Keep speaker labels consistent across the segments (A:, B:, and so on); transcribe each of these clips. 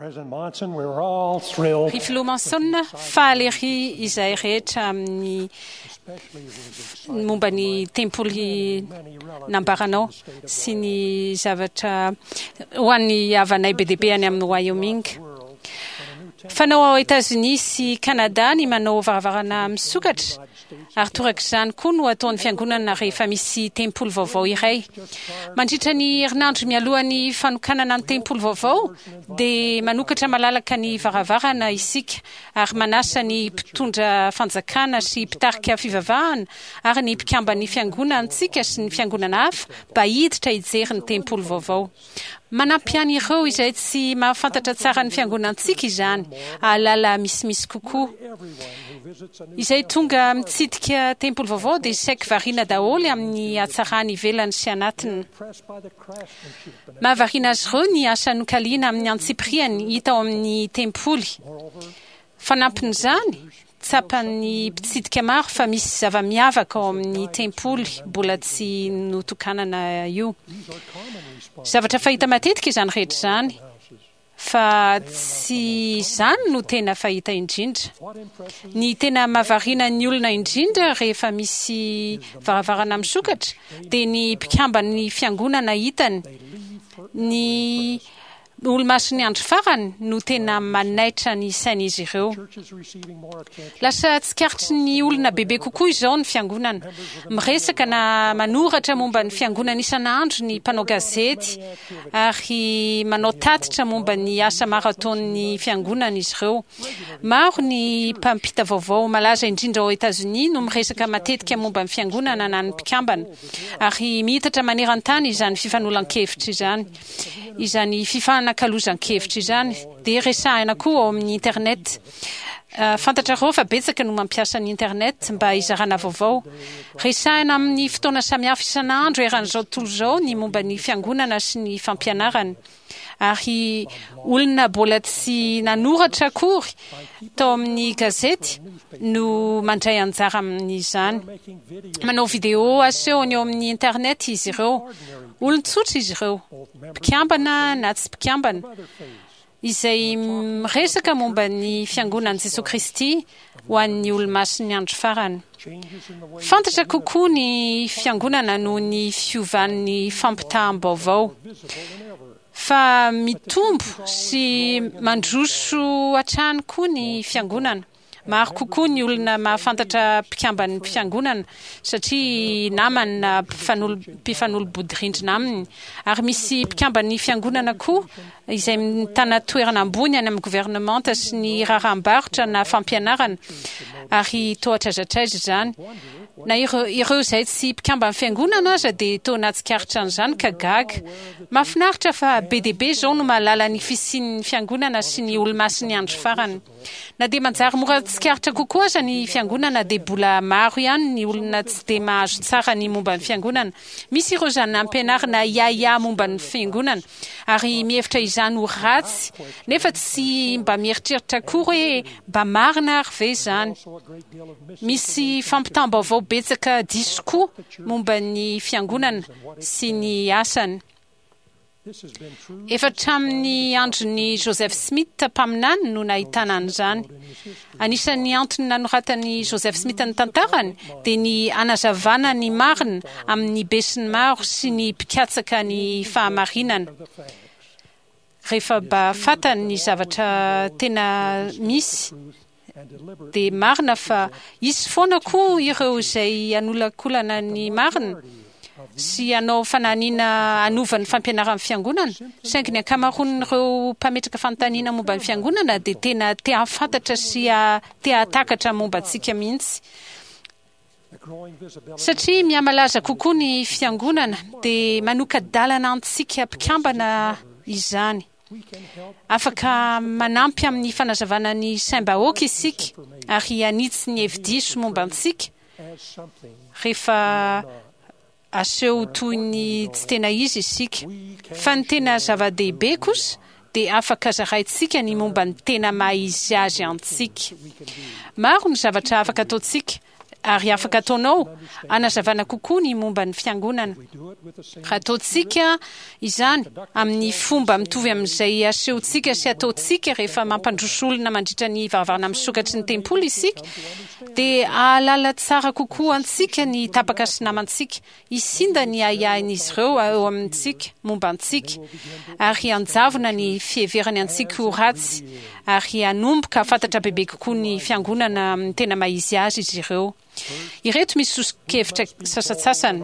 A: President Monson, we were all thrilled.
B: Ry Filoha Monson, faly ery izahay rehetra amin'ny momba ny tempoly nambaranao sy ny zavatra ho an'ny havanay be dia be any amin'ny Wyoming. Fanao ao Etazonia sy Kanada ny manao varavarana misokatra, ary torak'izany koa no ataon'ny Fiangonana rehefa misy tempoly vaovao iray. Mandritra ny herinandro mialohan'ny fanokanana ny tempoly vaovao, dia manokatra malalaka ny varavarana isika ary manasa ny mpitondra fanjakana sy mpitarika fivavahana ary ny mpikamban'ny Fiangonantsika sy ny fiangonana hafa mba hiditra hijery ny tempoly vaovao. Manampy an'ireo izay tsy mahafantatra tsara ny fiangonantsika izany hahalala misimisy kokoa. Izay tonga mitsidika tempoly vaovao dia saiky variana daholo amin'ny hatsarany ivelany sy anatiny. Mahavariana azy ireo ny asa nokaliana amin'ny antsipiriany hita ao amin'ny tempoly. Fanampin'izany, Tsapan'ny mpitsidika maro fa misy zava-miavaka ao amin'ny tempoly mbola tsy notokanana io. Zavatra fahita matetika izany rehetra izany, fa tsy izany no tena fahita indrindra. Ny tena mahavariana ny olona indrindra rehefa misy varavarana misokatra dia ny mpikamban'ny fiangonana hitany, ny Olomasin'ny andro farany no tena manaitra ny sain'izy ireo. Lasa tsikaritry ny olona bebe kokoa izao ny fiangonana. Miresaka na manoratra momba ny fiangonana isan'andro ny mpanao gazety ary manao tatitra momba ny asa maro ataon'ny fiangonana izy ireo. Maro ny mpampita vaovao malaza indrindra ao Etazonia no miresaka matetika momba ny fiangonana na ny mpikambana. Ary miitatra maneran-tany izany fifanolan-kevitra izany. Izany fifanakalozan-kevitra izany dia resahina koa ao amin'ny Internet. Fantatrareo fa betsaka no mampiasa ny Internet mba hizarana vaovao. Resahina amin'ny fotoana samihafa isan'andro eran'izao tontolo izao ny momba ny Fiangonana sy ny fampianarany. Ary olona mbola tsy nanoratra akory tao amin'ny gazety no mandray anjara amin'izany. Manao video asehony eo amin'ny Internet izy ireo. Olon-tsotra izy ireo, mpikambana na tsy mpikambana, izay miresaka momba ny Fiangonan'i Jesoa Kristy ho an'ny Olomasin'ny Andro Farany. Fantatra kokoa ny Fiangonana noho ny fiovan'ny fampitaham-baovao. Fa mitombo sy mandroso hatrany koa ny Fiangonana. Maro kokoa ny olona mahafantatra mpikamban'ny fiangonana satria namany na mpifanolo-bodirindrina aminy. Ary misy mpikamban'ny fiangonana koa izay mitana toerana ambony any amin'ny governemanta sy ny raharaham-barotra na fampianarana, ary toa hatraiza hatraiza izany. Na ireo ireo izay tsy mpikamban'ny fiangonana aza dia toa nahatsikaritra an'izany ka gaga. Mahafinaritra fa be dia be izao no mahalala ny fisian'ny fiangonana sy ny Olomasin'ny Andro Farany. Na dia manjary mora tsikaritra kokoa aza ny fiangonana dia bola maro ihany ny olona tsy dia mahazo tsara ny momba ny fiangonana. Misy ireo izany nampianarina hiahiahy momba ny fiangonana ary mihevitra izany ho ratsy nefa tsy mba mieritreritra akory hoe mba marina ary ve izany. Misy fampitam-baovao betsaka diso koa momba ny fiangonana sy ny asany. Efa hatramin'ny andron'i Joseph Smith mpaminany no nahitana an'izany. Anisan'ny antony nanoratan'i Joseph Smith ny tantarany dia ny hanazavana ny marina amin'ny besinimaro sy ny mpikatsaka ny fahamarinana. Rehefa mba fantany ny zavatra tena misy Dia marina fa hisy foana koa ireo izay hanolakolana ny marina sy hanao fanahiniana hanova ny fampianaran'ny Fiangonana, saingy ny ankamaroan'ireo mpametraka fanontaniana momba ny Fiangonana dia tena te hahafantatra sy te hahatakatra momba antsika mihitsy. Satria mihamalaza kokoa ny Fiangonana, dia manoka-dalana antsika mpikambana izany. Afaka manampy amin'ny fanazavana ny saim-bahoaka isika ary hanitsy ny hevi-diso momba antsika rehefa aseho toy ny tsy tena izy isika. Fa ny tena zava-dehibe kosa dia afaka zaraintsika ny momba ny tena maha izy azy antsika. Maro ny zavatra afaka ataontsika. ary afaka ataonao hanazavana kokoa ny momba ny Fiangonana. Raha ataontsika izany amin'ny fomba mitovy amin'izay asehontsika sy ataontsika rehefa mampandroso olona mandritra ny varavarana misokatry ny tempoly isika, dia hahalala tsara kokoa antsika ny tapaka sy namantsika. Hisinda ny ahiahin'izy ireo eo amintsika momba antsika, ary hanjavona ny fiheverany antsika ho ratsy, ary hanomboka hahafantatra bebe kokoa ny Fiangonana amin'ny tena maha-izy azy izy ireo. Ireto misy soso-kevitra sasantsasany.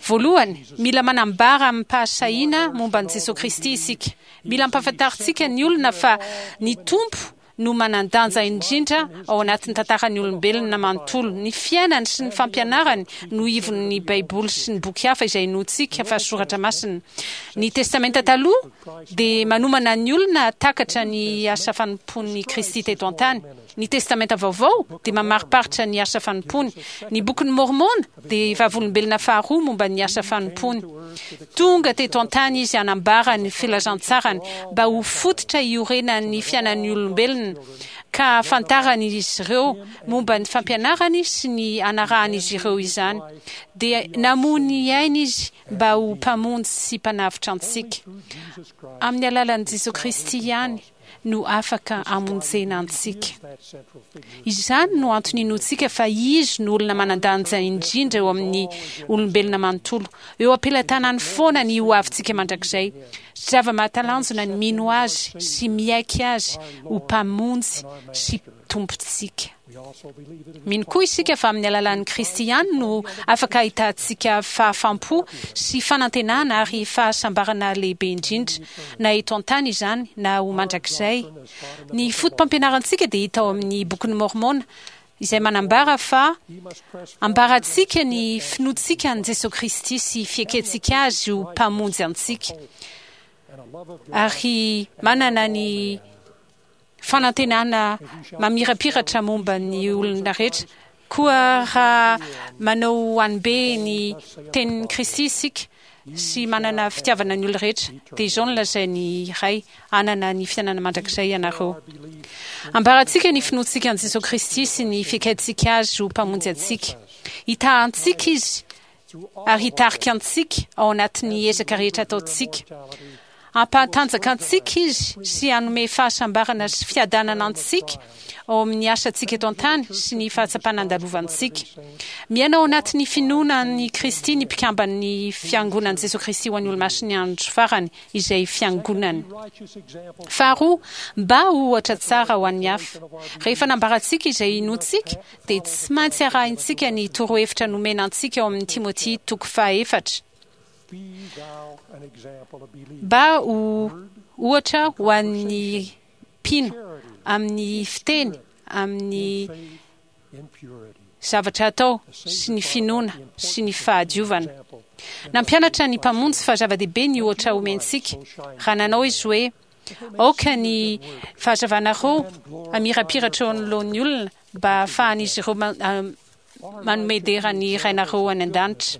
B: Voalohany, mila manambara amim-pahasahiana momba an'i Jesoa Kristy isika. Mila ampahafantarintsika ny olona fa ny Tompo no manan-danja indrindra ao anatin'ny tantaran'ny olombelona manontolo. Ny fiainany sy ny fampianarany no ivon'ny Baiboly sy ny boky hafa izay inoantsika fa soratra masina. Ny Testamenta Taloha dia manomana ny olona hahatakatra ny asa fanompoan'i Kristy teto an-tany. Ny Testamenta Vaovao dia mamariparitra ny asa fanompoany. Ny Bokin'i Môrmôna dia vavolombelona faharoa momba ny asa fanompoany. Tonga teto an-tany Izy hanambara ny filazantsarany mba ho fototra iorenan'ny fiainan'ny olombelona, ka hahafantaran'izy ireo momba ny fampianarany sy ny hanarahan'izy ireo izany. Dia namoy ny ainy Izy mba ho Mpamonjy sy Mpanavotra antsika. Amin'ny alalan'i Jesoa Kristy ihany no afaka hamonjena antsika. Izany no antony inoantsika fa Izy no olona manan-danja indrindra eo amin'ny olombelona manontolo. Eo am-pelatanany foana ny hoavintsika mandrakizay. Zava-mahatalanjona ny mino Azy sy miaiky Azy ho Mpamonjy sy Tompontsika. Mino koa isika fa amin'ny alalan'i Kristy ihany no afaka ahitantsika fahafaham-po sy fanantenana ary fahasambarana lehibe indrindra, na eto an-tany izany na ho mandrakizay. Ny fotopampianarantsika dia hita ao amin'ny Bokin'i Môrmôna, izay manambara fa ambarantsika ny finoantsika an'i Jesoa Kristy sy fiekentsika Azy ho Mpamonjy antsika, ary manana ny fanantenana mamirapiratra momba ny olona rehetra. Koa raha manao hanibe ny tenin'i Kristy isika sy manana fitiavana ny olona rehetra, dia izao no lazain'ny Ray, Hanana ny fiainana mandrakizay ianareo. Ambarantsika ny finoantsika an'i Jesoa Kristy sy ny fiaikentsika Azy ho Mpamonjy antsika. Hitaha antsika Izy ary hitarika antsika ao anatin'ny ezaka rehetra ataontsika. Hampahatanjaka antsika Izy sy hanome fahasambarana sy fiadanana antsika ao amin'ny asantsika eto an-tany sy ny fahatsapana andalovantsika. Miaina ao anatin'ny finoana an'i Kristy ny mpikamban'ny Fiangonan'i Jesoa Kristy ho an'ny Olomasin'ny Andro Farany, izay Fiangonany. Faharoa, mba ho ohatra tsara ho an'ny hafa. Rehefa nambarantsika izay inoantsika, dia tsy maintsy arahintsika ny torohevitra nomena antsika ao amin'ny Timoty toko fahaefatra, mba ho ohatra ho an'ny mpino amin'ny fiteny, amin'ny zavatra atao sy ny finoana sy ny fahadiovana. Nampianatra ny Mpamonjy fa zava-dehibe ny ohatra omentsika, raha nanao Izy hoe, Aoka ny fahazavanareo hamirapiratra eo anoloan'ny olona mba hahafahan'izy ireo manome dera ny Rainareo any an-danitra.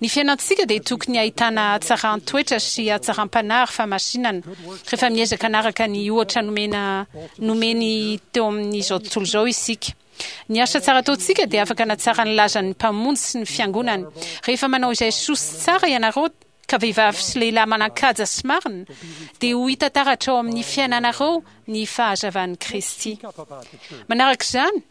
B: Ny fiainantsika dia tokony hahitana hatsaran-toetra sy hatsaram-panahy ary fahamasinana rehefa miezaka hanaraka ny ohatra nomena nomeny teo amin'izao tontolo izao isika. Ny asa tsara ataontsika dia afaka hanatsara ny lazan'ny Mpamonjy sy ny Fiangonany. Rehefa manao izay soa sy tsara ianareo, ka vehivavy sy lehilahy manan-kaja sy marina, dia ho hita taratra ao amin'ny fiainanareo ny fahazavan'i Kristy. Manaraka izany,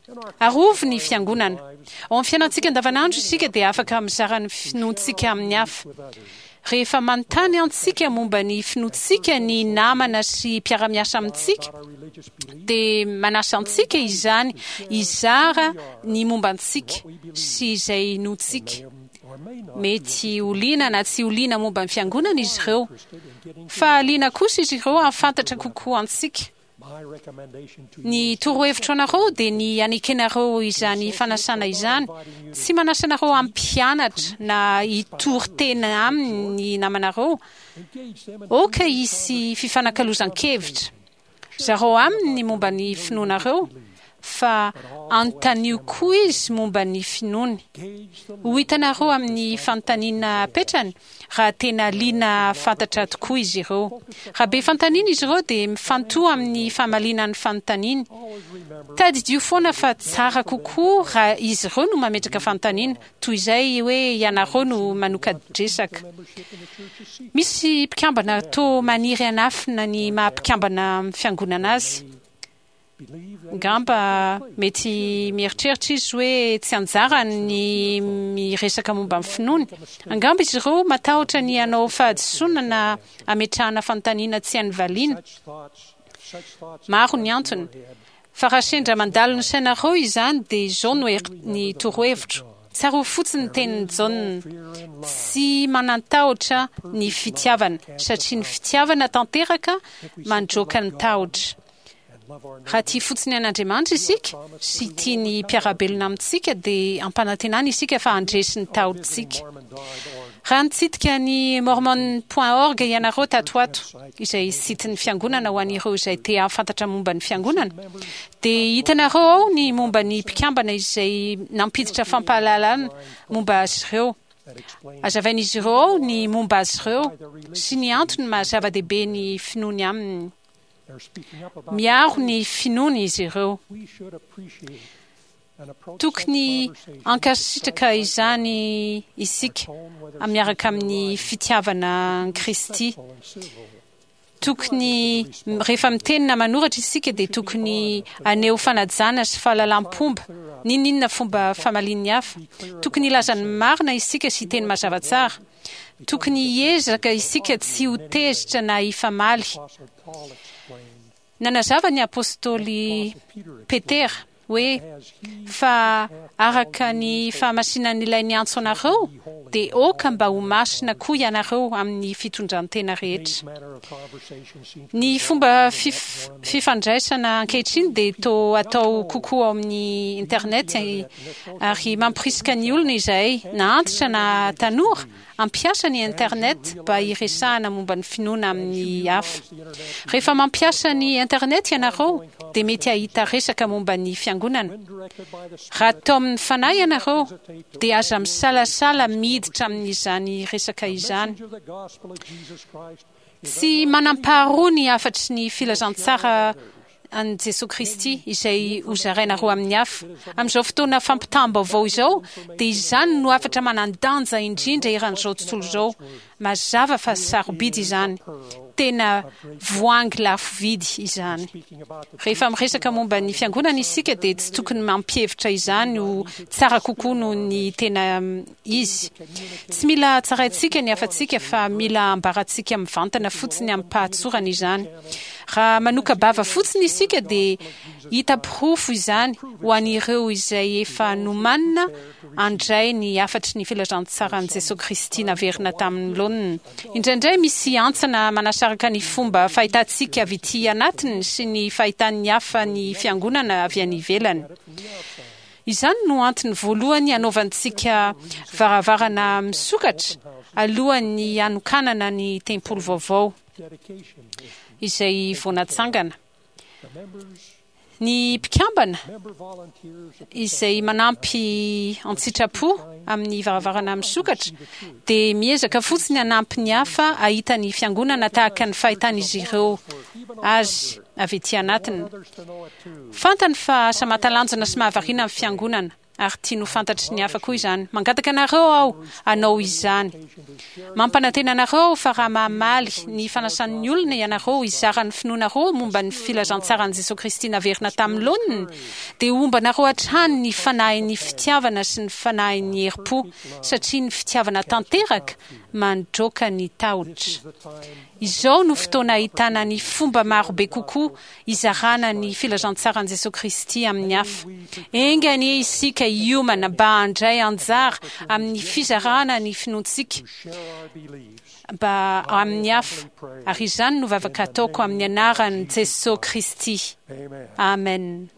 B: arovy ny Fiangonana. Ao amin'ny fiainantsika andavanandro isika dia afaka mizara ny finoantsika amin'ny hafa. Rehefa manontany antsika momba ny finoantsika ny namana sy mpiara-miasa amintsika, dia manasa antsika izany hizara ny momba antsika sy izay inoantsika. Mety ho liana na tsy ho liana momba ny Fiangonana izy ireo, fa liana kosa izy ireo hahafantatra kokoa antsika. Ny torohevitro anareo dia ny hanekenareo izany fanasana izany. Tsy manasa anareo hampianatra na hitory tena aminy ny namanareo. Aoka hisy fifanakalozan-kevitra. Zarao aminy ny momba ny finoanareo. fa anontanio koa izy momba ny finoany. Ho hitanareo amin'ny fanontaniana apetrany raha tena liana hahafantatra tokoa izy ireo. Raha be fanontaniana izy ireo dia mifantoha amin'ny famaliana ny fanontaniany. Tadidio foana fa tsara kokoa raha izy ireo no mametraka fanontaniana toy izay hoe ianareo no manoka-dresaka. Misy mpikambana toa maniry hanafina ny maha mpikambana amin'ny fiangonana azy. Angamba mety mieritreritra izy hoe tsy anjarany ny miresaka momba ny finoany. Angamba izy ireo matahotra ny hanao fahadisoana na hametrahana fanontaniana tsy hainy valiana. Maro ny antony. Fa raha sendra mandalo ny sainareo izany dia izao no ny torohevitro, Tsarovy fotsiny ny tenin'i Jaona, Tsy manan-tahotra ny fitiavana, satria ny fitiavana tanteraka mandroaka ny tahotra. Raha tia fotsiny an'Andriamanitra isika sy tia ny mpiara-belona amintsika, dia ampanantenana isika fa handresy ny tahotsika. Raha nitsidika ny Mormon point org ianareo tato ho ato, izay site-n'ny Fiangonana ho an'ireo izay te hahafantatra momba ny Fiangonana, dia hitanareo ao ny momba ny mpikambana izay nampiditra fampahalalana momba azy ireo. Hazavain'izy ireo ao ny momba azy ireo sy ny antony maha zava-dehibe ny finoany aminy. Miaro ny finoany izy ireo. Tokony hankasitraka izany isika miaraka amin'ny fitiavana an'i Kristy. Tokony, rehefa miteny na manoratra isika dia tokony haneho fanajana sy fahalalam-pomba, n'inon'inona fomba famalian'ny hafa. Tokony hilaza ny marina isika sy hiteny mazava tsara. Tokony hiezaka isika tsy ho tezitra na hifamaly. Nanazava ny apostoly Petera hoe, Fa araka ny fahamasinan'Ilay niantso anareo, dia aoka mba ho masina koa ianareo amin'ny fitondran-tena rehetra. Ny fomba fifandraisana ankehitriny dia toa atao kokoa ao amin'ny Internet, ary mamporisika ny olona izahay, na antitra na tanora, hampiasa ny Internet mba hiresahana momba ny finoana amin'ny hafa. Rehefa mampiasa ny Internet ianareo, dia mety hahita resaka momba ny Fiangonana. Raha taomin'ny Fanahy ianareo, dia aza misalasala miditra amin'izany resaka izany. Tsy manam-paharoa ny hafatry ny filazantsara an'i Jesoa Kristy izay hozarainareo amin'ny hafa. Amin'izao fotoana fampitam-baovao izao, dia izany no hafatra manan-danja indrindra eran'izao tontolo izao. Mazava fa sarobidy izany. Tena voahangy lafo vidy izany. Rehefa miresaka momba ny Fiangonana isika dia tsy tokony mampihevitra izany ho tsara kokoa noho ny tena izy. Tsy mila tsaraintsika ny hafatsika fa mila ambarantsika mivantana fotsiny amim-pahatsorana izany. Raha manoka-bava fotsiny isika dia hita porofo izany ho an'ireo izay efa nomanina handray ny hafatry ny filazantsaran'i Jesoa Kristy naverina tamin'ny laoniny. Indraindray misy hantsana manasaraka ny fomba fahitantsika avy ety anatiny sy ny fahitan'ny hafa ny Fiangonana avy any ivelany. Izany no antony voalohany hanaovantsika varavarana misokatra alohan'ny hanokanana ny tempoly vaovao izay vao natsangana. Ny mpikambana izay manampy an-tsitrapo amin'ny varavarana misokatra dia miezaka fotsiny hanampy ny hafa hahita ny Fiangonana tahaka ny fahitan'izy ireo azy avy ety anatiny. Fantany fa asa mahatalanjona sy mahavariana ny Fiangonana, ary tiany ho fantatry ny hafa koa izany. Mangataka anareo aho hanao izany. Mampanantena anareo aho fa raha mamaly ny fanasan'ny olona ianareo hizara ny finoanareo momba ny filazantsaran'i Jesoa Kristy naverina tamin'ny laoniny, dia homba anareo hatrany ny fanahin'ny fitiavana sy ny fanahin'ny herim-po, satria ny fitiavana tanteraka mandroaka ny tahotra. Izao no fotoana ahitana ny fomba marobe kokoa hizarana ny filazantsaran'i Jesoa Kristy amin'ny hafa. Enga anie isika hiomana mba handray anjara amin'ny fizarana ny finoantsika mba amin'ny hafa, ary izany no vavaka ataoko amin'ny anaran'i Jesoa Kristy. Amen.